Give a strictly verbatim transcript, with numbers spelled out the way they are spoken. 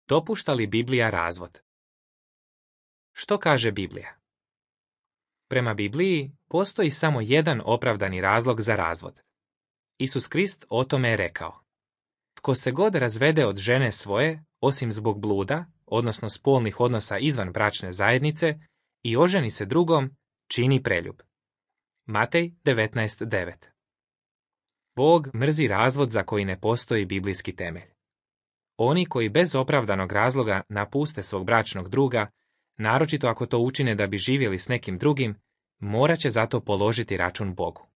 Dopušta li Biblija razvod? Što kaže Biblija? Prema Bibliji postoji samo jedan opravdani razlog za razvod. Isus Krist o tome je rekao: tko se god razvede od žene svoje, osim zbog bluda, odnosno spolnih odnosa izvan bračne zajednice, i oženi se drugom, čini preljub. Matej devetnaest devet. Bog mrzi razvod za koji ne postoji biblijski temelj. Oni koji bez opravdanog razloga napuste svog bračnog druga, naročito ako to učine da bi živjeli s nekim drugim, morat će zato položiti račun Bogu.